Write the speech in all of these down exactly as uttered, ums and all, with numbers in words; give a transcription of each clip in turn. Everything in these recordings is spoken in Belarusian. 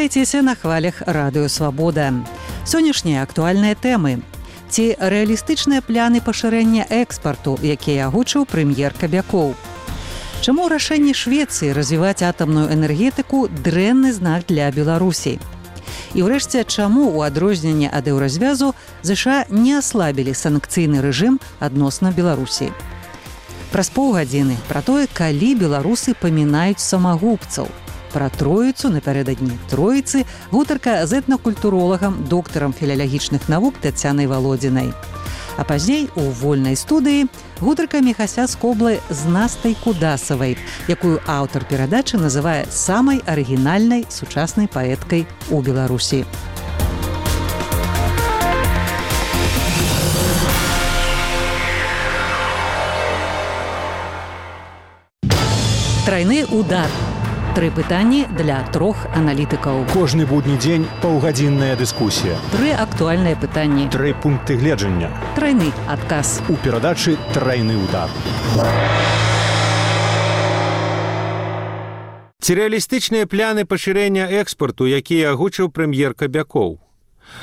Вітайцеся на хвалях Радыё Свабода. Сённяшнія актуальныя тэмы. Ці рэалістычныя пляны пашырэння экспарту, якія агучыў прэм'ер Кабякоў. Чаму рашэнне Швецыі развіваць атамную энергетыку дрэнны знак для Беларусі? І ўрэшце, чаму у адрозненне ад еўразвязу ЗША не аслабілі санкцыйны рэжым адносна Беларусі? Праз паўгадзіны пра тое, калі беларусы памінаюць самагубцаў. Пра Троіцу напярэдадні Троіцы гутарка з этнакультуролагам, доктарам філалагічных навук Тацянай Валодзінай. А пазней у вольнай студыі гутарка Міхася з Коблы з Настай Кудасавай, якую аўтар перадачы называе самай арыгінальнай сучаснай паэткай у Беларусі. Трайны удар. Тры пытанні для трох аналітыкаў. Кожны будні дзень паўгадзінная дыскусія. Тры актуальныя пытанні. Тры пункты гледжання. Трайны адказ. У перадачы «Трайны удар». Ці рэалістычныя пляны пашырэння экспарту, якія агучыў прэм'ер Кабякоў?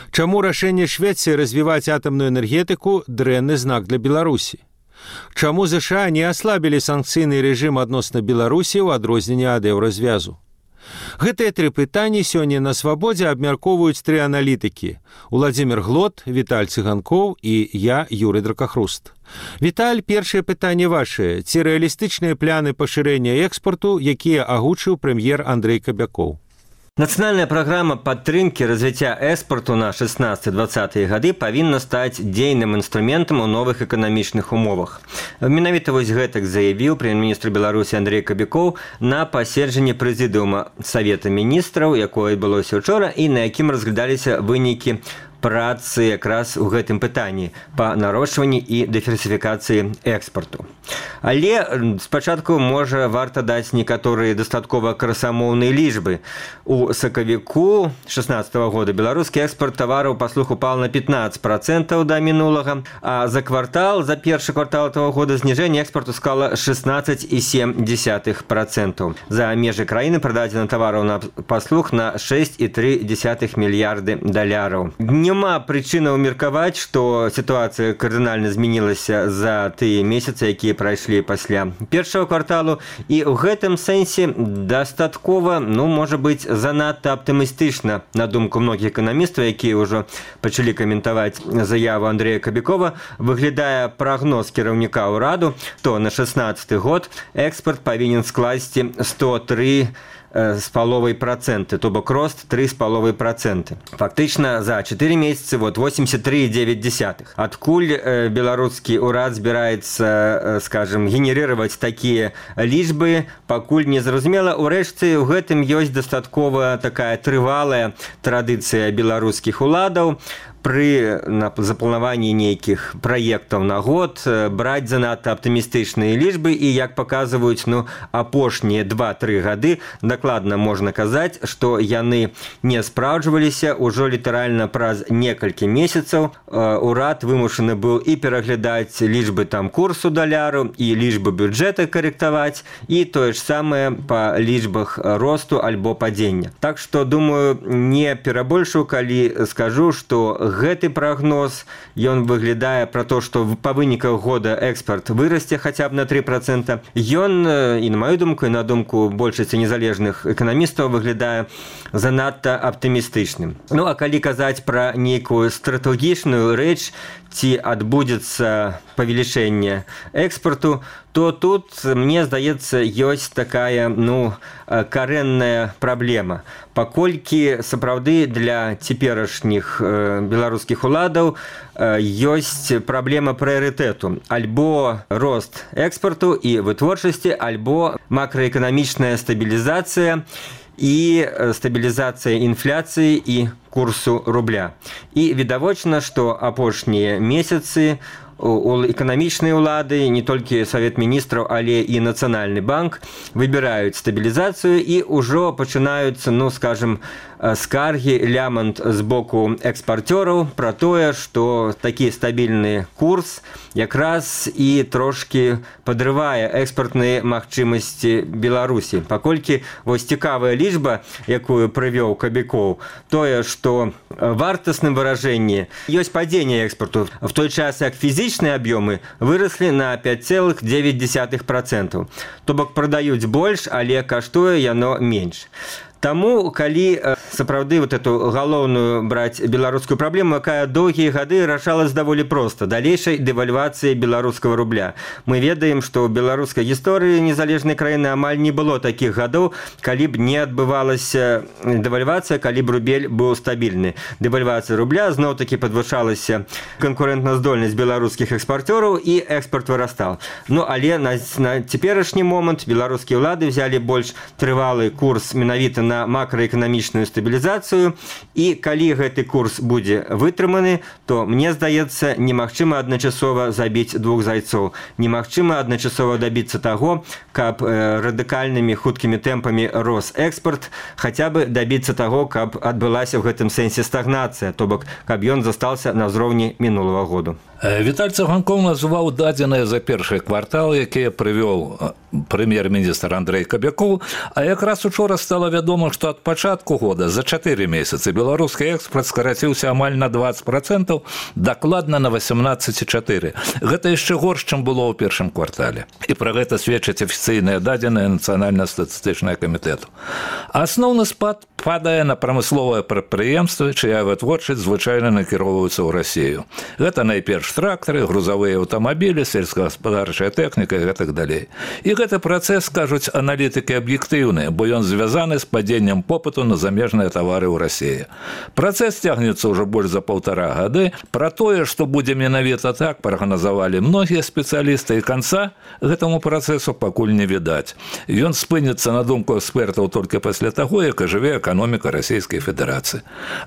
Чаму рашэнне Швецыі развіваць атамную энергетыку дрэнны знак для Беларусі? Чаму ЗША не аслабілі санкцыйны рэжым адносна Беларусі ў адрозненне ад еўразвязу? Гэтыя тры пытанні сёння на Свабодзе абмяркоўваюць тры аналітыкі: Уладзімір Глот, Віталь Цыганкоў і я, Юрый Дракахруст. Віталь, першае пытанне вашае. Ці рэалістычныя пляны пашырэння экспарту, якія агучыў прэм'ер Андрэй Кабякоў? Нацыянальная праграма падтрымкі развіцця экспарту на шэснаццатыя-дваццатыя гады павінна стаць дзейным інструментам у новых эканамічных умовах. Менавіта вось гэтак заявіў прэм'ер-міністр Беларусі Андрэй Кабякоў на паседжанні прэзідыума Савета міністраў, якое адбылося ўчора і на якім разглядаліся вынікі працы якраз у гэтым пытанні па нарошчванні і дыверсіфікацыі экспарту. Але спачатку, можа, варта даць некаторыя дастаткова красамоўныя лічбы. У сакавіку шэснаццатага года беларускі экспарт тавараў паслуг упал на пятнаццаць працэнтаў да мінулага, а за квартал, за першы квартал этого года зніжэнне экспарту склала шэснаццаць і сем дзесятых працэнтаў. За межы краіны прададзена тавараў на паслуг на шэсць і тры дзесятых мільярды даляраў. Няма прычынаў меркаваць, што сітуацыя кардынальна змянілася за тыя месяцы, якія прайшлі пасля першага кварталу, і ў гэтым сэнсе дастаткова, ну, можа быць, занадта аптымістычна, на думку многіх эканамістаў, якія ўжо пачалі каментаваць заяву Андрэя Кабякова, выглядае прагноз кіраўніка ўраду, то на шэснаццаты год экспарт павінен скласці сто тры з паловай працэнты, то бок рост тры з паловай працэнты. Фактычна за чатыры месяцы вот восемьдесят три и девять десятых. Адкуль э, беларускі ўрад збіраецца, э, скажем, генерировать такія лічбы, пакуль не зразумела. Урэшце, у гэтым ёсць дастаткова такая трывалая традыцыя беларускіх уладаў пры запланаванні нейкіх праектаў на год браць занадта аптымістычныя лічбы, і, як паказваюць, ну, апошнія два-тры гады дакладна можна казаць, што яны не спраўджваліся. Ужо літаральна праз некалькі месяцаў урад вымушаны быў і пераглядаць лічбы там курсу даляру, і лічбы бюджэта карэктаваць, і тое ж самае па лічбах росту альбо падзення. Так што, думаю, не перабольшую, калі скажу, што гэты прагноз, ён выглядае пра то, што па выніках года экспарт вырасце хаця б на тры працэнты. Ён, і на маю думку, і на думку большасці незалежных эканамістаў, выглядае занадта аптымістычным. Ну, а калі казаць пра нейкую стратэгічную рэч, ці адбудзецца павелічэнне экспарту, то тут, мне здаецца, ёсць такая, ну, карэнная праблема. Паколькі сапраўды для цяперашніх беларускіх уладаў ёсць праблема прыярытэту. Альбо рост экспарту і вытворчасці, альбо макраэканамічная стабілізацыя і стабілізацыя інфляцыі і курсу рубля. І відавочна, што апошнія месяцы у эканамічнай улады, не толькі Савет міністраў, але і Нацыянальны банк выбіраюць стабілізацыю, і ўжо пачынаюцца, ну, скажем, скаргі, лямант з боку экспарцёраў пра тое, што такі стабільны курс якраз і трошкі падрывае экспартныя магчымасці Беларусі. Паколькі вось цікавая лічба, якую прывёў Кабякоў, тое, што вартасным выражэнні ёсць падзенне экспарту, в той час як фізічныя аб'ёмы выраслі на пяць цэлых дзевяць дзесятых працэнта. То бок прадаюць больш, але каштуе яно менш. Таму, калі сапраўды вот эту галоўную браць беларускую праблему, якая доўгія гады рашалась даволі проста, далейшай дэвальвацыі беларускага рубля. Мы ведаем, што ў беларускай гісторыі незалежнай краіны амаль не было такіх гадоў, калі б не адбывалася дэвальвацыя, калі б рубель быў стабільны. Дэвальвацыя рубля зноў-такі падвышалася канкурэнтназдольнасць беларускіх экспарцёраў і экспарт вырастаў. Ну, але на, на цяперашні момант беларускія ўлады взялі больш трывалы курс менавіта на макраэканамічную стабілізацыю, і калі гэты курс будзе вытрыманы, то, мне здаецца, немагчыма адначасова забіць двух зайцоў. Немагчыма адначасова дабіцца таго, каб э, радыкальнымі хуткімі тэмпамі рос экспарт, хаця бы дабіцца таго, каб адбылася ў гэтым сэнсе стагнацыя, то бок, каб ён застаўся на ўзроўні мінулага году. Віталь Цыганкоў называў дадзеныя за першы квартал, якія прывёў прэм'ер-міністр Андрэй Кабякоў, а якраз учора стала вядома, што ад пачатку года за чатыры месяцы беларускі экспарт скараціўся амаль на дваццаць працэнтаў, дакладна на восемнадцать цэлых чатыры. Гэта яшчэ горш, чым было ў першым квартале. І пра гэта сведчаць афіцыйныя дадзеныя нацыянальна-статыстычнага камітэту. Асноўны спад падае на прамысловыя прадпрыемствы, чыя вытворчасць звычайна накіроўваюцца ў Расію. Гэта найперш трактары, грузавыя аўтамабілі, сельскагаспадарчая тэхніка і гэтак далей. І гэты працэс, кажуць аналітыкі, аб'ектыўны, бо ён звязаны з падзеннем попыту на замежныя тавары ў Расіі. Працэс цягнецца ўжо больш за паўтара гады. Пра тое, што будзе менавіта так, прагназавалі многія спецыялісты, і канца гэтаму працэсу пакуль не відаць. Ён спыніцца, на думку экспертаў, толькі пасля таго, як ажыве эканоміка Расійскай Федэрацыі.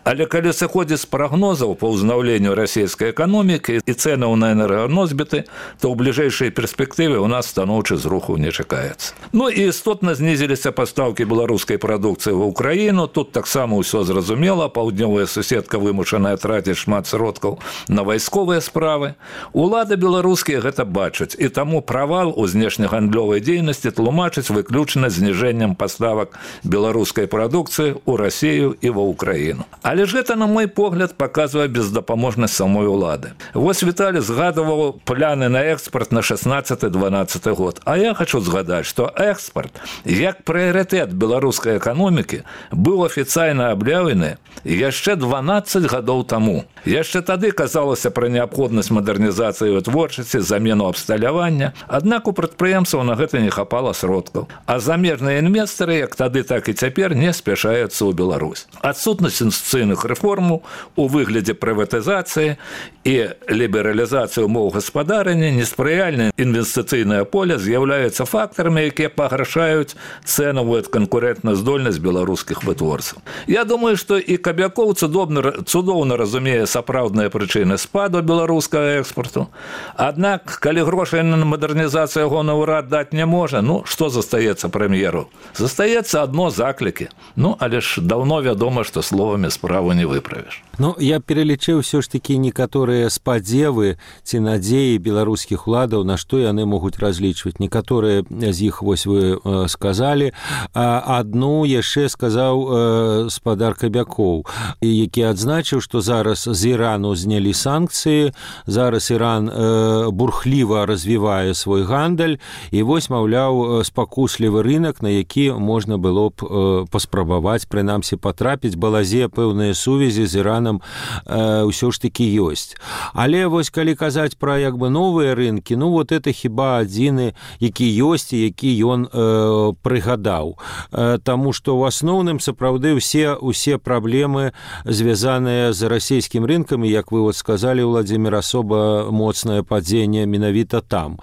Але калі сыходзіць з прагнозаў па ўзнаўленню расійскай эканомікі і цэнаў на энерганосьбіты, то ў бліжэйшай перспектыве ў нас станоўчы зруху не чакаецца. Ну і істотна знізіліся пастаўкі беларускай прадукцыі ва ўкраіну. Тут таксама ўсё зразумела. Паўднёвая суседка вымушаная траціць шмат сродкаў на вайсковыя справы. Улады беларускія гэта бачаць, і таму правал у знешнегандлёвай дзейнасці тлумачыць выключна зніжэннем паставак беларускай прадукцыі ў Расію і ва ўкраіну. Але ж гэта, на мой погляд, паказвае бездапаможнасць самой улады. Вось Віталій згадываў пляны на экспарт на шаснаццаты дванаццаты год. А я хочу згадаць, што экспарт, як прыярытэт беларускай эканомікі, быў афіцыйна аб'яўлены яшчэ дванаццаць гадоў таму. Яшчэ тады казалася пра неабходнасць мадэрнізацыі вытворчасці, замену абсталявання, аднак у прадпрыемстваў на гэта не хапала сродкаў. А замежныя інвестары, як тады, так і цяпер, не спяшаюцца ў Беларусь. Адсутнасць інвестыцыйных рэформаў у выглядзе прыватызацыі і лібералізацыі ўмоў гаспадарання, неспрыяльнае інвестыцыйнае поле з'яўляюцца фактарамі, якія пагаршаюць цэнавую канкурэнтназдольнасць беларускіх вытворцаў. Я думаю, што і Кабякоў цудоўна, цудоўна разумее сапраўдныя прычыны спаду беларускага экспарту. Аднак, калі грошай на мадэрнізацыю ягоны ўрад даць не можа, ну, што застаецца прэм'еру? Застаецца адно заклікі. Ну, але ж даўно вядома, што словамі справу не выправіш. Ну, я пералічыў ўсё ж такі некаторыя спадзевы ці надзеі беларускіх уладаў, на што яны могуць разлічваць. Некаторыя з іх, вось вы э, сказалі, а адну яшчэ сказаў э, спадар Кабякоў, які адзначыў, што зараз з Ірану знялі санкцыі, зараз Іран э, бурхліва развівае свой гандаль, і вось, маўляў, спакуслівы рынак, на які можна было б э, паспрабаваць, прынамсі, патрапіць, балазе пэўныя сувязі з Іранам э, ўсё ж такі ёсць. Але вось калі казаць пра як бы новыя рынкі, ну вот это хіба адзіны, які ёсць і які ён э, прыгадаў. Э, таму што ў асноўным сапраўды ўсе усе праблемы звязаныя з расійскім рынкам, і як вы вот сказалі, Владзімір, асоба моцнае падзенне менавіта там.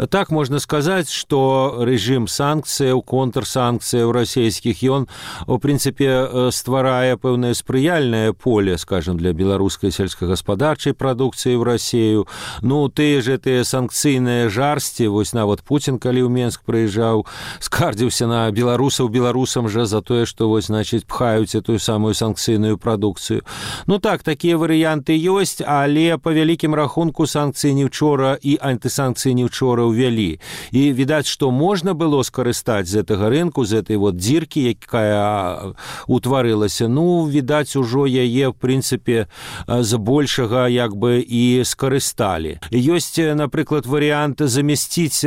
Так можна сказаць, што рэжым санкцыяў, контрсанкцыяў расійскіх, ён у прынцыпе стварае пэўнае спрыяльнае поле, скажем, для беларускай сельскагаспадарчай прадукцыі ў Расію. Ну, тыя ж тыя санкцыйныя жарсці, вось нават Пуцін, калі ў Менск прыязджаў, скардзіўся на беларусаў беларусам жа за тое, што вось, значыць, пхаюць выпускаюць эту самую санкцыйную прадукцыю. Ну так, такія варыянты ёсць, але па вялікім рахунку санкцыі не ўчора і антысанкцыі не ўчора ўвялі. І відаць, што можна было скарыстаць з гэтага рынку, з этой вот дзіркі, якая утварылася. Ну, відаць, ужо яе, в прынцыпе, з большага як бы і скарысталі. Ёсць, напрыклад, варыянт замясціць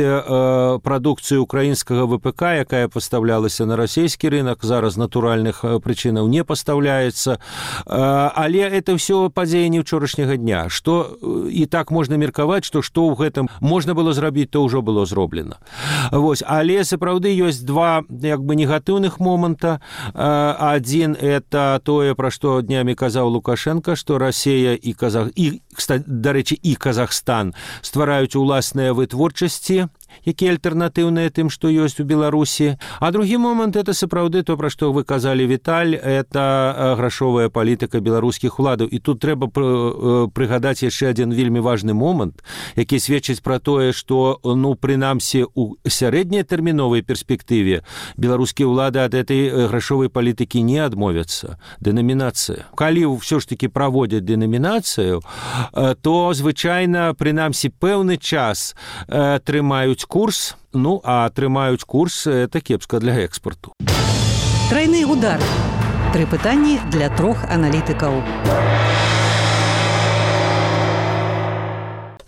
прадукцыю украінскага ВПК, якая пастаўлялася на расійскі рынок, зараз натуральных прычынаў не пастаўляецца. Але это ўсё падзеі не ўчорашняга дня. Што і так можна меркаваць, што што ў гэтым можна было зрабіць, то ўжо было зроблена. Вось. Але сапраўды ёсць два як бы негатыўных моманта. Адзін – это тое, пра што днямі казаў Лукашенко, што Расія і Казах... і, дарэчы, і Казахстан ствараюць уласныя вытворчасці, якія альтэрнатыўныя тым, што ёсць у Беларусі. А другі момант – это сапраўды то, пра што вы казалі, Віталь, это грашовая палітыка беларускіх уладаў. І тут трэба прыгадаць яшчэ адзін вельмі важны момант, які сведчыць пра тое, што, ну, прынамсі, у сярэднятэрміновай перспектыве беларускія ўлады ад этой грашовай палітыкі не адмовяцца. Дэнамінацыя. Калі ўсё ж такі праводзяць дэнамінацыю, то, звычайна, прынамсі, пэўны час трымаюць курс, ну, а трымаюць курс – это кепска для экспорту. Трайны удар. Тры пытанні для трох аналітыкаў.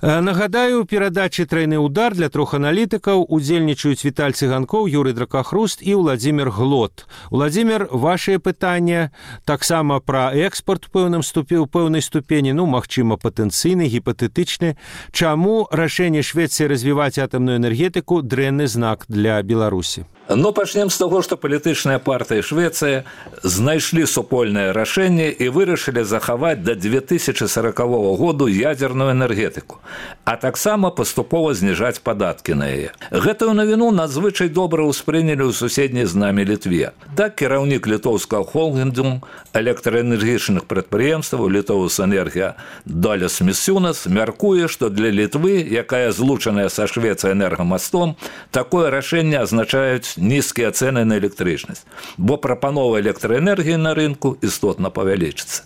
Нагадаю, у перадачы «Трайны удар» для трох аналітыкаў удзельнічаюць Віталь Цыганкоў, Юрый Дракахруст і Владзімир Глот. Владзімир, вашыя пытанні таксама пра экспорт у пэўным ступе, у пэўнай ступені, ну, магчыма, патэнцыйны, гіпатэтычны. Чаму рашэнне Швецыі развіваць атамную энергетыку дрэнны знак для Беларусі? Ну, пачнем з таго, што палітычныя партыі Швецыі знайшлі супольнае рашэнне і вырашылі захаваць да две тысячы сорокавога году ядзерную энергетыку, а таксама паступова зніжаць падаткі на яе. Гэтую навіну надзвычай добра ўспрынялі ў суседняй з намі Літве. Так, кіраўнік літоўскага холдынгу электраэнергічных прадпрыемстваў «Літоўс Энергія» Даляс Місюнас мяркуе, што для Літвы, якая злучаная са Швецыяй энергамастом, такое рашэнне азначаюць нізкія цэны на электрычнасць, бо прапанова электраэнергіі на рынку істотна павялічыцца.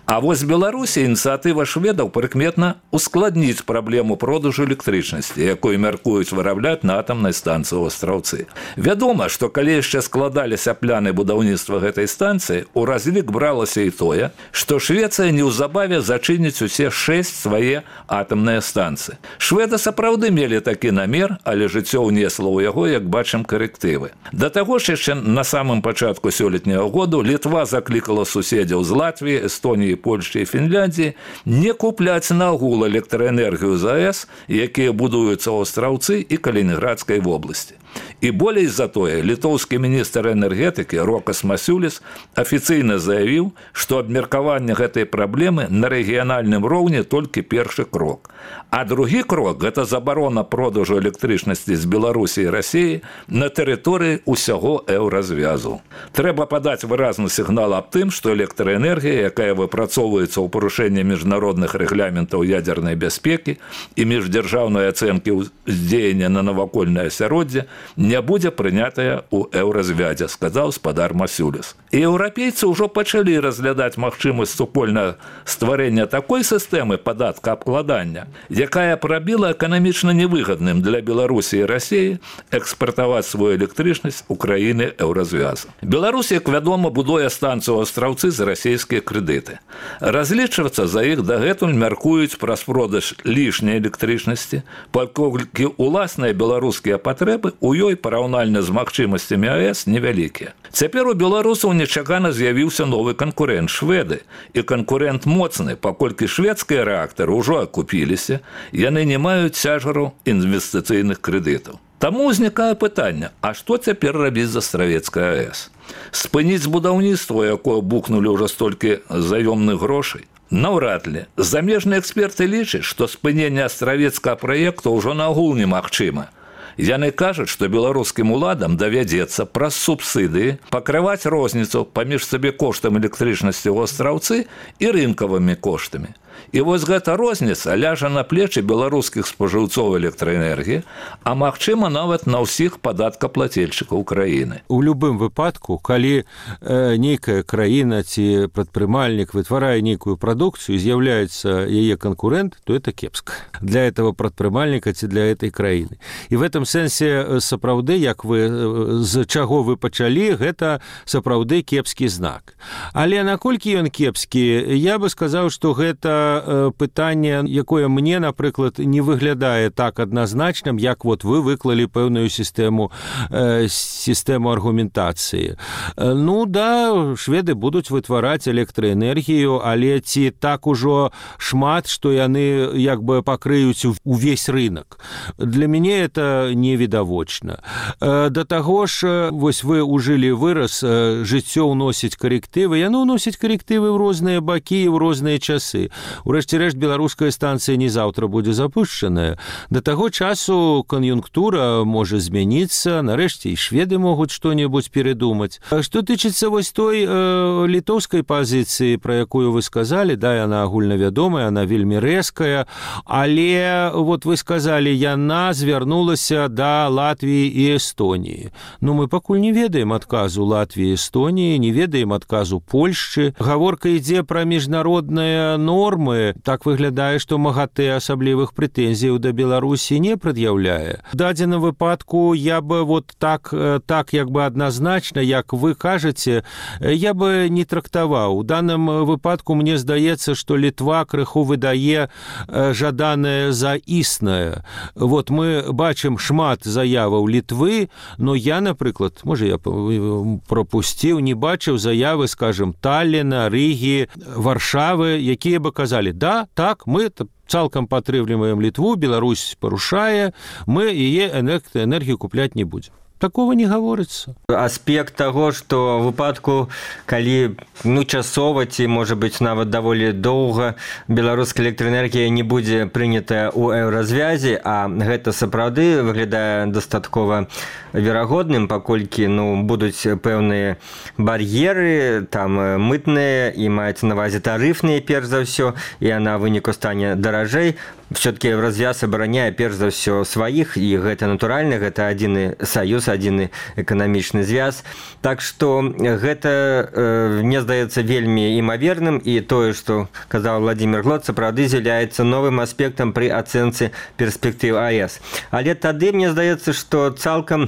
А вось Беларусі ініцыятыва шведаў прыкметна ускладніць праблему продажу электрычнасці, якую мяркуюць вырабляць на атамнай станцыі ў Астраўцы. Вядома, што калі яшчэ складаліся пляны будаўніцтва гэтай станцыі, у разлік бралася і тое, што Швецыя неўзабаве зачыніць усе шэсць свае атамныя станцыі. Шведы сапраўды мелі такі намер, але жыццё ўнесла ў яго, як бачым, карэктывы. Да таго ж яшчэ на самым пачатку сёлетняга году Літва заклікала суседзяў з Латвіі, Эстоніі, Польшчы і Фінляндіі не купляць нагул электраэнергію з АЭС, якія будуюцца ў Астраўцы і Калінінградскай вобласці. І болей за тое, літоўскі міністр энергетыкі Рокас Масюліс афіцыйна заявіў, што абмеркаванне гэтай праблемы на рэгіянальным роўні толькі першы крок. А другі крок – гэта забарона продажу электрычнасці з Беларусі і Расіі на тэрыторыі ўсяго еўразвязу. Трэба падаць выразны сігнал аб тым, што электраэнергія, якая выпрацоўваецца ў парушэнні міжнародных рэгламентаў ядзернай бяспекі і міждзяржаўнай ацэнкі ўздзеяння на навакольнае асяроддзе, не будзе прынятая ў еўразвядзе, сказаў спадар Масюліс. І еўрапейцы ўжо пачалі разглядаць магчымасць супольнага стварэння такой сістэмы падаткаабкладання, якая прабіла эканамічна невыгадным для Беларусі і Расіі экспартаваць свою электрычнасць у краіны еўразвязу. Беларусь, як вядома, будуе станцыю ў Астраўцы за расійскія крэдыты. Разлічвацца за іх дагэтуль мяркуюць праз продаж лішняй электрычнасці, паколькі уласныя беларускія патрэбы у ёй параўнальна з магчымасцямі АЭС невялікія. Цяпер у беларусаў нечакана з'явіўся новы канкурэнт шведы. І канкурэнт моцны, паколькі шведскія рэактары ўжо акупіліся, яны не маюць цяжару інвестыцыйных крэдытаў. Таму ўзнікае пытанне, а што цяпер рабіць з Астравецкай АЭС? Спыніць будаўніцтва, якое бухнулі ўжо столькі заёмных грошай? Наўрад ли. Замежныя эксперты лічаць, што спыненне Астравецкага праекта ўжо нагул немагчыма. Яны кажуць, што беларускім уладам давядзецца праз субсідыі пакрываць розніцу паміж сабекоштам электрычнасці ў Астраўцы і рынкавымі коштамі. І вось гэта розніца ляжа на плечы беларускіх спажыўцоў электраэнергіі, а магчыма нават на ўсіх падаткаплацельшчыкаў краіны. У любым выпадку, калі э, нейкая краіна ці прадпрымальнік вытварае нейкую прадукцыю, з'яўляецца яе канкурэнт, то это кепска для этого прадпрымальніка ці для этой краіны. І в этом сэнсе сапраўды, як вы, з чаго вы пачалі, гэта сапраўды кепскі знак. Але наколькі ён кепскі, я бы сказаў, што гэта пытанне, якое мне, напрыклад, не выглядае так адназначным, як вот вы выклалі пэўную сістэму, э, сістэму аргументацыі. Ну да, шведы будуць вытвараць электраэнергію, але ці так ужо шмат, што яны як бы пакрыюць увесь рынок. Для мяне это невідавочна. Э, да таго ж, вось вы ужылі выраз, э, жыццё ўносіць карэктывы, яно ўносіць карэктывы ў розныя бакі і ў розныя часы. Урэшце-рэшт, беларуская станцыя не заўтра будзе запушчаная. Да таго часу кан'юнктура можа змяніцца, нарэшце і шведы могуць што-небудзь перадумаць. Што тычыцца вось той э, літоўскай пазіцыі, пра якую вы сказалі, да, яна агульнавядомая, яна вельмі рэзкая, але вот вы сказалі, яна звярнулася да Латвіі і Эстоніі. Ну, мы пакуль не ведаем адказу Латвіі і Эстоніі, не ведаем адказу Польшчы. Гаворка ідзе пра міжнародныя нормы. Так выглядае, што МАГАТЭ асаблівых прэтэнзіяў да Беларусі не прад'яўляе. В дадзеным выпадку я бы вот так, так як бы адназначна, як вы кажаце, я бы не трактаваў. У данным выпадку мне здаецца, што Літва крыху выдае жаданае за існае. Вот мы бачым шмат заяваў Літвы, но я, напрыклад, можа я пропусціў, не бачыў заявы, скажем, Талліна, Рыгі, Варшавы, якія бы казалі, да, так, мы цалкам падтрымліваем Літву, Беларусь парушае, мы яе энергію купляць не будзем. Такого не гаворыцца. Аспект таго, што ў выпадку, калі ну, часова ці, можа быць, нават даволі доўга беларуская электраэнергія не будзе прынятая ў еўразвязі, а гэта сапраўды выглядае дастаткова верагодным, паколькі ну, будуць пэўныя бар'еры, там мытныя і маецца на ўвазе тарыфныя, перш за ўсё, і яна выніку стане даражэй. Все-таки Евразвяз абараняе перш за ўсё сваіх, і гэта натуральна, гэта адзіны саюз, адзіны эканамічны звяз. Так што гэта, э, мне здаецца, вельмі імаверным, і тое, што казаў Владимир Глот, сапраўды з'яўляецца новым аспектам пры ацэнцы перспектыў АЭС. Але тады мне здаецца, што цалкам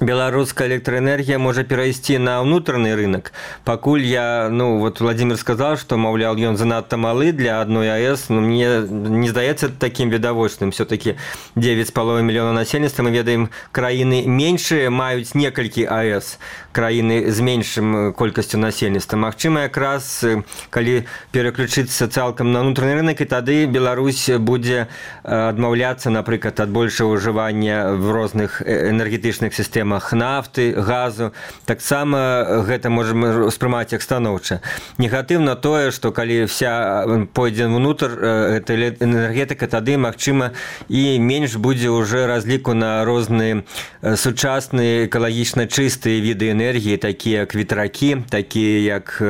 беларуская электраэнергія можа перайсці на ўнутраны рынок. Пакуль я, ну, вот Владимир сказал, што, маўляў, ён занадта малы для адной АЭС, но мне не здаецца такім відавочным. Все-таки девять з паловай мільёнаў насельніцтва, мы ведаем, краіны меншыя маюць некалькі АЭС, краіны з меншым колькасцю насельніцтва. Магчыма, якраз, калі пераключыцца цалкам на ўнутраны рынок, і тады Беларусь будзе адмаўляцца, напрыклад, ад большого ўжывання в розных энергетычных сістэмах нафты, газу. Таксама гэта можам успрымаць як станоўча. Негатыўна тое, што калі вся пойдзе ўнутр эта энергетыка, тады, магчыма, і менш будзе ўжо разліку на розныя сучасныя экалагічна чыстыя віды энергіі, такія як ветракі, такія як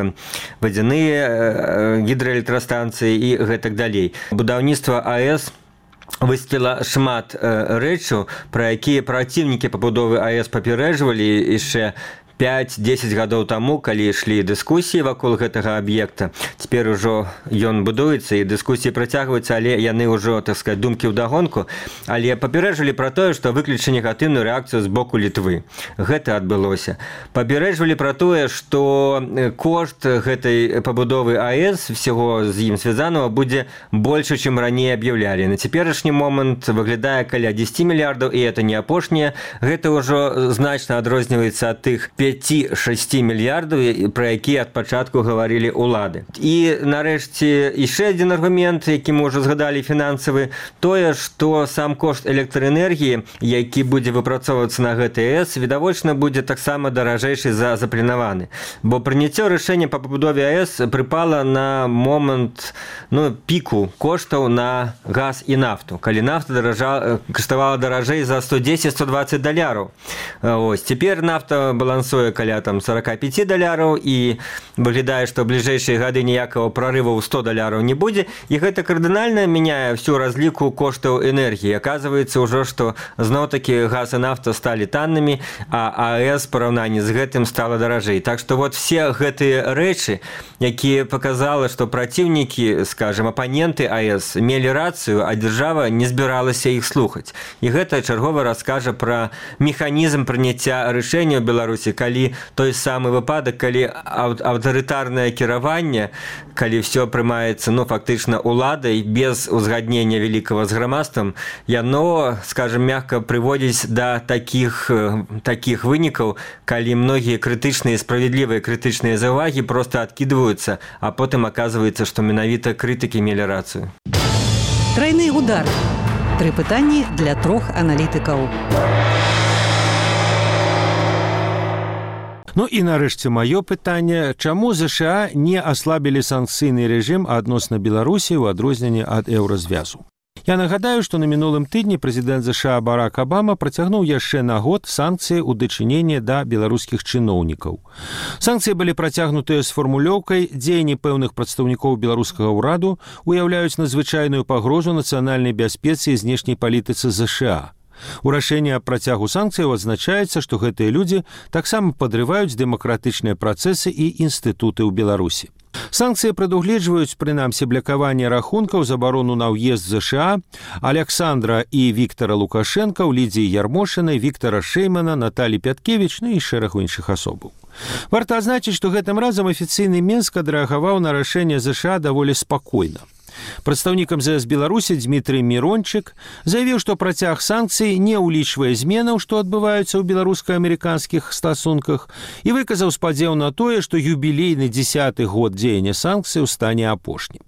вадзяныя гідраэлектрастанцыі і гэтак далей. Будаўніцтва АЭС высветліла шмат э, рэчаў, пра якія праціўнікі пабудовы АЭС папярэджвалі яшчэ пяць-дзесяць гадоў таму, калі ішлі дыскусіі вакол гэтага аб'екта. Цяпер ужо ён будуецца, і дыскусіі працягваюцца, але яны ўжо, так сказаць, думкі ўдагонку. Але папярэджвалі пра тое, што выключыць негатыўную рэакцыю з боку Літвы. Гэта адбылося. Папярэджвалі пра тое, што кошт гэтай пабудовы АЭС, всего з ім звязанага, будзе больше, чым раней аб'яўлялі. На цяперашні момант выглядае каля дзесяць мільярдаў, і это не апошняе. Гэта ўжо значна адрозніваецца ад тых пяць-шэсць мільярдаў, пра якія ад пачатку гаварылі ўлады. І, нарэшце, яшчэ адзін аргумент, які мы ўжо згадалі, фінансавы, тое, што сам кошт электраэнергіі, які будзе выпрацоўвацца на гэтай АЭС, відавочна будзе таксама даражэйшы за запланаваны. Бо прыняццё рашэння па пабудове АЭС прыпала на момант ну, піку коштаў на газ і нафту, калі нафта даража, каштавала даражэй за сто дзесяць - сто дваццаць даляраў. Ось, цяпер нафта балансуе каля там сорок пять даляраў, і выглядае, што ў бліжэйшыя гады ніякага ніякого прорыва ў сто даляраў не будзе, і гэта кардынальна мяняе всю разліку коштаў энергіі. Аказваецца ўжо, што зноў-такі газ і нафта сталі таннымі, а АЭС параўнанні з гэтым стала даражэй. Так што вот все гэтыя рэчы, якія паказала, што праціўнікі, скажем, апаненты АЭС мелі рацыю, а дзяржава не збіралася іх слухаць. І гэта чаргова раскажа пра механізм прыняцця рашэння ў Беларусі, калі той самы выпадак, калі аўтарытарнае кіраванне, калі ўсё прымаецца, ну, фактычна уладай без узгаднення вялікага з грамадствам, яно, скажем, мягка прыводзіць да такіх, такіх вынікаў, калі многія крытычныя, справядлівыя крытычныя заўвагі проста адкідваюцца, а потым аказваецца, што менавіта крытыкі мелі рацыю. Трайны удар. Тры пытанні для трох аналітыкаў. Ну і нарэшце маё пытанне, чаму ЗША не аслабілі санкцыйны рэжым адносна Беларусі ў адрозненні ад еўразвязу? Я нагадаю, што на мінулым тыдні прэзідэнт ЗША Барак Абама працягнуў яшчэ на год санкцыі ў дачыненні да беларускіх чыноўнікаў. Санкцыі былі працягнутыя з фармулёўкай «Дзеянні пэўных прадстаўнікоў беларускага ўраду уяўляюць надзвычайную пагрозу нацыянальнай бяспецы і знешняй палітыцы ЗША». У рашэнні аб працягу санкцыяў адзначаецца, што гэтыя людзі таксама падрываюць дэмакратычныя працэсы і інстытуты ў Беларусі. Санкцыі прадугледжваюць, прынамсі, блакаванне рахункаў, забарону на ўезд ЗША, Александра і Віктара Лукашэнка, Лідзіі Ярмошынай, Віктара Шэймана, Наталі Пяткевіч, ну і шэрагу іншых асобаў. Варта адзначыць, што гэтым разам афіцыйны Мінск адрэагаваў на рашэнне ЗША даволі спакойна. Прадстаўнік эм зэ эс Беларусі Дмітрый Мірончык заявіў, што працяг санкцый не ўлічвае зменаў, што адбываюцца ў беларуска-амерыканскіх стасунках, і выказаў спадзеў на тое, што юбілейны дзесяты год дзеяння санкцыяў стане апошнім.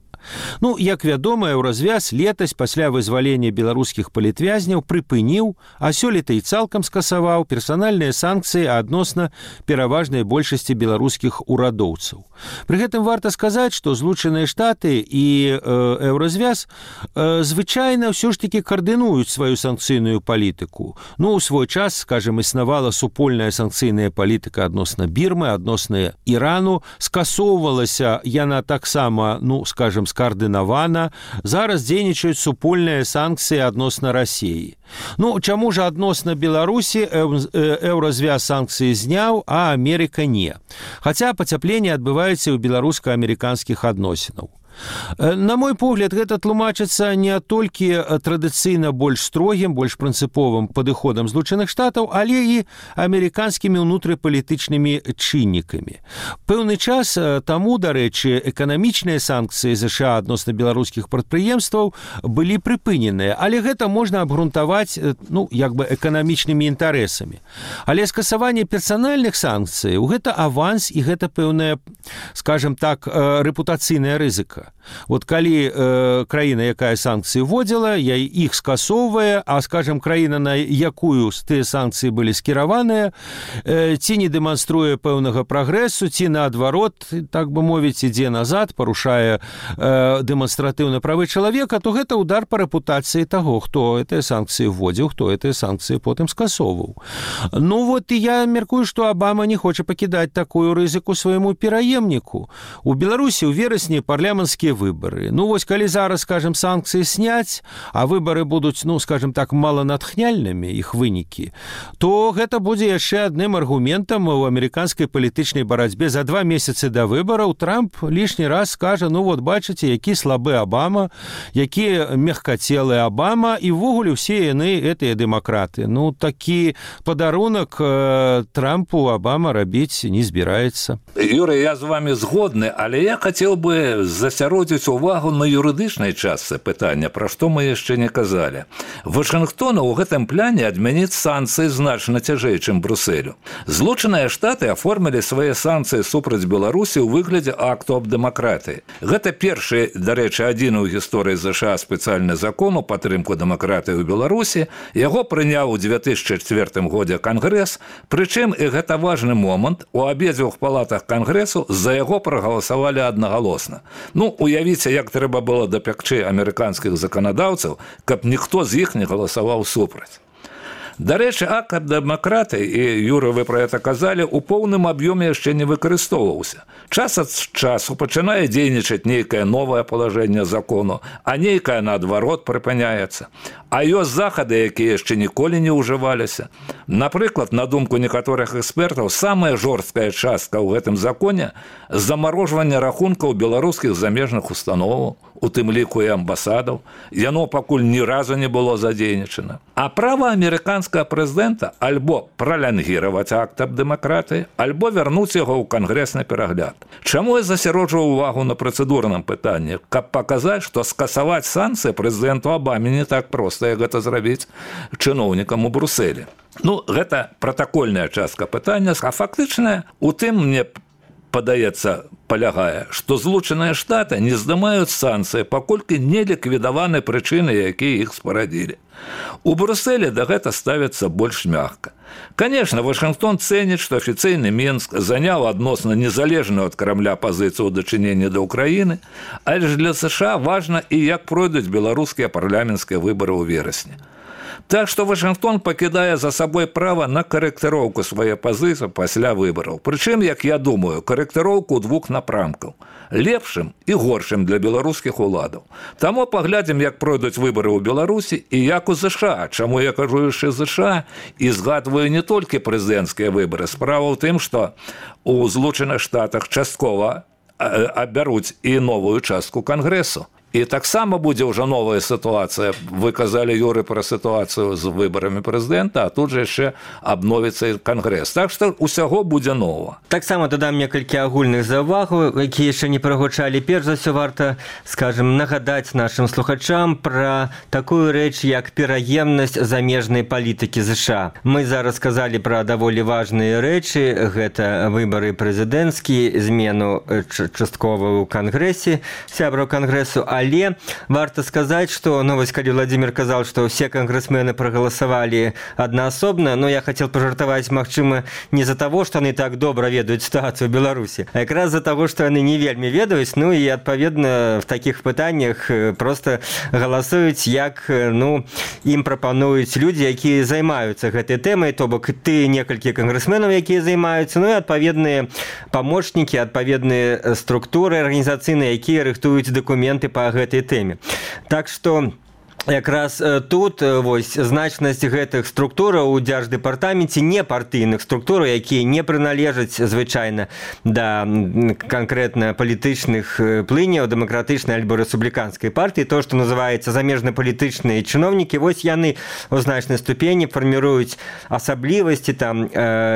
Ну, як вядома, еўразвяз летась пасля вызвалення беларускіх палітвязняў прыпыніў, а сёлета і цалкам скасаваў персанальныя санкцыі адносна пераважнай большасці беларускіх урадоўцаў. Пры гэтым варта сказаць, што Злучаныя Штаты і э, еўразвяз э, звычайна ўсё ж такі каардынуюць сваю санкцыйную палітыку. Ну, у свой час, скажем, існавала супольная санкцыйная палітыка адносна Бірмы, адносна Ірану, скасоўвалася яна таксама, ну, скажем, скаардынавана, зараз дзейнічаюць супольныя санкцыі адносна Расіі. Ну, чаму ж адносна Беларусі еўразвяз санкцыі зняў, а Амерыка не? Хаця пацяпленне адбываецца ў беларуска-амерыканскіх адносінаў. На мой погляд, гэта тлумачыцца не толькі традыцыйна больш строгім, больш прынцыповым падыходам Злучаных Штатаў, але і амерыканскімі ўнутрыпалітычнымі чыннікамі. Пэўны час таму, дарэчы, эканамічныя санкцыі ЗША адносна беларускіх прадпрыемстваў былі прыпыненыя, але гэта можна абгрунтаваць, ну, як бы эканамічнымі інтарэсамі. Але скасаванне персанальных санкцыяў – гэта аванс і гэта пэўная, скажем так, рэпутацыйная рызыка. Вот калі э, краіна, якая санкцыі вводзіла, я іх скасоўвае, а, скажем, краіна, на якую тыя санкцыі былі скіраваныя, э, ці не дэманструе пэўнага прагрэсу, ці наадварот, так бы мовіць, ідзе назад, парушае э, дэманстратыўна правы чалавека, то гэта удар па рэпутацыі таго, хто гэтыя санкцыі вводзіў, хто гэтыя санкцыі потым скасоўваў. Ну вот і я мяркую, што Абама не хоча пакідаць такую рызыку свайму пераемніку. У Беларусі ў верасні парламенцкія выборы. Ну, вось, калі зараз, скажем, санкцыі сняць, а выборы будуць, ну, скажем так, маланатхняльнымі, іх вынікі, то гэта будзе яшчэ адным аргументам у амерыканскай палітычнай барацьбе. За два месяцы да выбораў Трамп лішні раз скажа, ну, вот, бачыце, які слабы Абама, які мягкацелы Абама, і ввогуле ўсе яны гэтыя дэмакраты. Ну, такі падарунак э, Трампу Абама рабіць не збіраецца. Юрий, я з вами згодны, але я хацеў бы засяродзіць увагу на юрыдычнай частцы пытання, пра што мы яшчэ не казалі. Вашынгтону ў гэтым пляне адмяніць санкцыі значна цяжэй, чым Брусэлю. Злучаныя Штаты аформілі свае санкцыі супраць Беларусі ў выглядзе акту аб дэмакратыі. Гэта першы, дарэчы, адзіны ў гісторыі ЗША спецыяльны закон у падтрымку дэмакратыі ў Беларусі. Яго прыняў у дзве тысячы чвэртым годзе Кангрэс, прычым, і гэта важны момант, у абедзвюх палатах Кангрэсу за яго прагаласавалі аднагалосна. Ну, уявіце, як трэба было дапякчы амерыканскіх заканадаўцаў, каб ніхто з іх не галасаваў супраць. Дарэчы, акт дэмакраты, і Юра, вы пра гэта казалі, у поўным аб'ёме яшчэ не выкарыстоўваўся. Час ад часу пачынае дзейнічаць нейкае новае палажэнне закону, а нейкае наадварот прыпыняецца. А ёсць захады, якія яшчэ ніколі не ўжываліся. Напрыклад, на думку некаторых экспертаў, самая жорсткая частка ў гэтым законе – замарожванне рахункаў беларускіх замежных установаў, у тым ліку і амбасадаў. Яно пакуль ні разу не было задзейнічана. А права амерыканскага прэзідэнта альбо пралянгіраваць акт аб дэмакратыі, альбо вярнуць яго ў кангрэсны перагляд. Чаму я засяроджваў увагу на працэдурным пытанні? Каб паказаць, што скасаваць санкцыі прэзідэнту Абаме не так проста, як гэта зрабіць чыноўнікам у Брусэлі. Ну, гэта пратакольная частка пытання, а фактычная у тым, мне падаецца, палягае, што Злучаныя Штаты не здымаюць санкцыі, паколькі не ліквідаваны прычыны, якія іх спарадзілі. У Брусэлі да гэта ставіцца больш мякка. Конечно, Вашингтон цэніць, што афіцыйны Мінск заняў адносна незалежную ад Крамля пазіцыю ў дачыненні да Ўкраіны, але ж для США важна і як пройдуць беларускія парламенцкія выбары ў верасні. Так што Вашингтон пакідае за сабой права на карэктыроўку свае пазіцыі пасля выбараў. Прычым, як я думаю, карэктыроўку двух напрамкаў. Лепшым і горшым для беларускіх уладаў. Таму паглядзім, як пройдуць выбары ў Беларусі і як у ЗША. Чаму я кажу яшчэ ЗША і згадваю не толькі прэзідэнцкія выбары. Справа ў тым, што у Злучаных Штатах часткова абяруць і новую частку Кангрэсу. І таксама будзе ўжо новая сітуацыя. Вы казалі, Юры, пра сітуацыю з выбарамі прэзідэнта, а тут жа яшчэ абновіцца і Кангрэс. Так што ўсяго будзе нова. Таксама дадам некалькі агульных заўвагаў, якія яшчэ не прагучалі. Перш за ўсё варта, скажем, нагадаць нашым слухачам пра такую рэч, як пераемнасць замежнай палітыкі ЗША. Мы зараз сказалі пра даволі важныя рэчы. Гэта выбары прэзідэнцкія, змену часткова ў Кангрэсе, сябраў Кангрэсу, але варта сказаць, што, ну, вось калі Владимир казал, што ўсе кангрэсмены прагаласавалі аднаасобна, но я хацеў пажартаваць, магчыма, не за таго, што яны так добра ведаюць сітуацыю ў Беларусі, а якраз за таго, што яны не вельмі ведаюць, ну і адпаведна в такіх пытаннях проста галасуюць, як, ну, ім прапануюць людзі, якія займаюцца гэтай тэмай, то бок ты некалькі кангрэсменаў, якія займаюцца, ну і адпаведныя памочнікі, адпаведныя структуры арганізацыйныя, якія рыхтуюць дакументы па гэтай тэме. Так што якраз тут вось значнасць гэтых структураў у дзярждэпартаменце не партыйных структураў, якія не прыналежаць звычайна да канкрэтна палітычных плыняў дэмакратычнай альбо рэспубліканскай партыі, то, што называецца замежна-палітычныя чыноўнікі, вось яны ў значнай ступені фарміруюць асаблівасці, там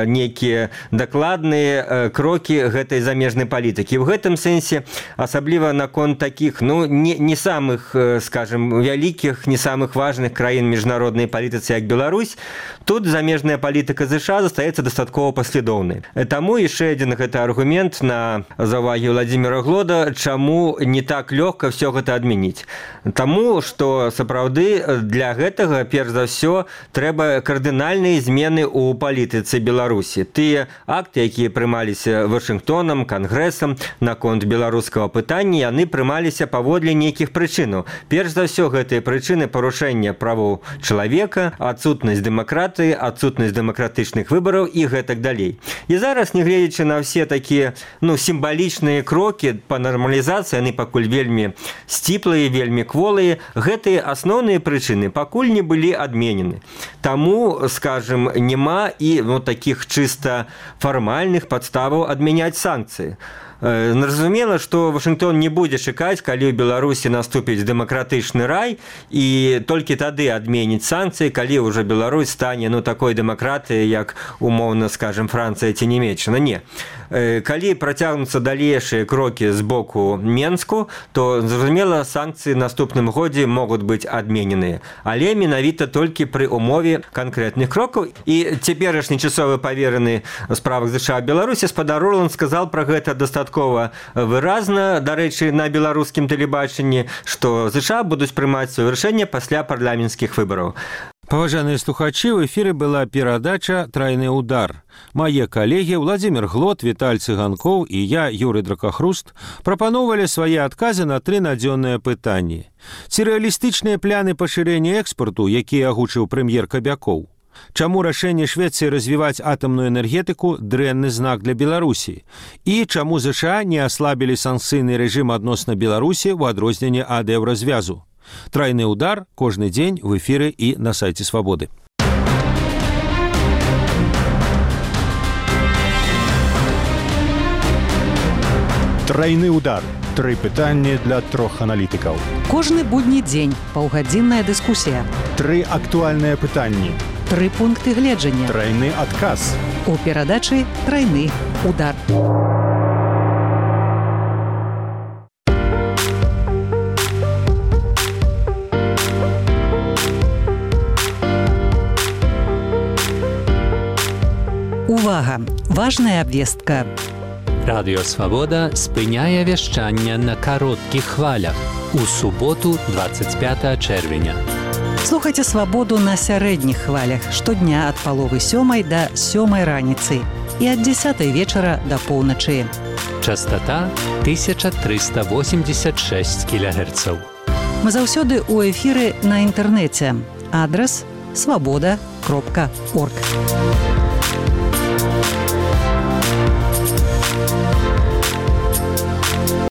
нейкія дакладныя крокі гэтай замежнай палітыкі. В гэтым сэнсе асабліва наконт такіх, ну, не, не самых, скажем, вялікіх, не самых важных краін міжнароднай палітыцы, як Беларусь, тут замежная палітыка ЗША застаецца дастаткова паслядоўнай. Таму яшчэ адзін гэта аргумент на заўвагі Владимира Глода, чаму не так лёгка ўсё гэта адмяніць. Таму, што сапраўды для гэтага, перш за ўсё, трэба кардынальныя змены ў палітыцы Беларусі. Тыя акты, якія прымаліся Вашингтонам, Кангрэсам наконт беларускага пытання, яны прымаліся паводле нейкіх прычынаў. Перш за ўсё, гэтыя прычыны парушэння правоў чалавека, адсутнасць дэмакратыі, адсутнасць дэмакратычных выбараў і гэтак далей. І зараз, нягледзячы на ўсе такія, ну, сімвалічныя крокі па нармалізацыі, яны пакуль вельмі сціплыя, вельмі кволыя, гэтыя асноўныя прычыны пакуль не былі адменены. Таму, скажем, няма і, ну, такіх чыста фармальных падставаў адмяняць санкцыі. Зразумела, што Вашингтон не будзе чакаць, калі ў Беларусі наступіць дэмакратычны рай, і толькі тады адменіць санкцыі, калі ўжо Беларусь стане, ну, такой дэмакратыяй, як, умоўна, скажем, Францыя ці Нямецчына. Не. Калі працягнуцца далейшыя крокі з боку Менску, то, зразумела, санкцыі ў наступным годзе могуць быць адмененыя. Але менавіта толькі пры умове канкрэтных крокаў. І цяперашні часовы павераны ў справах ЗША Беларусі спадар Орланд сказал пра гэта дастаткова выразна, дарэчы, на беларускім тэлебачанні, што ЗША будуць прымаць сваё рашэнне пасля парламенцкіх выбараў. Паважаныя слухачы, в эфіры была перадача «Трайны удар». Мае калегі Владимир Глод, Віталь Цыганкоў і я, Юрый Дракахруст, прапаноўвалі свае адказы на тры надзённыя пытанні. Ці рэалістычныя пляны пашырэння экспарту, якія агучыў прэм'ер Кабякоў? Чаму рашэнне Швецыі развіваць атамную энергетыку дрэнны знак для Беларусі? І чаму ЗША не аслабілі санкцыйны рэжым адносна Беларусі ў адрозненне ад еўразвязу? Трайны удар кожны дзень в эфіры і на сайце Свабоды. Трайны удар. Тры пытанні для трох аналітыкаў. Кожны будні дзень паўгадзінная дыскусія. Тры актуальныя пытанні. Тры пункты гледжання. Трайны адказ. У перадачы трайны удар. Увага! Важная абвестка. Радыё Свабода спыняе вяшчанне на кароткіх хвалях у суботу двадцать пятого чэрвеня. Слухайце Свабоду на сярэдніх хвалях штодня ад паловы сёмай да сёмай раніцы і ад дзесятай вечара да поўначы. Частота тысяча триста восемьдесят шесть килогерцаў. Мы заўсёды ў эфіры на інтэрнэце. Адрас свабода кропка орг.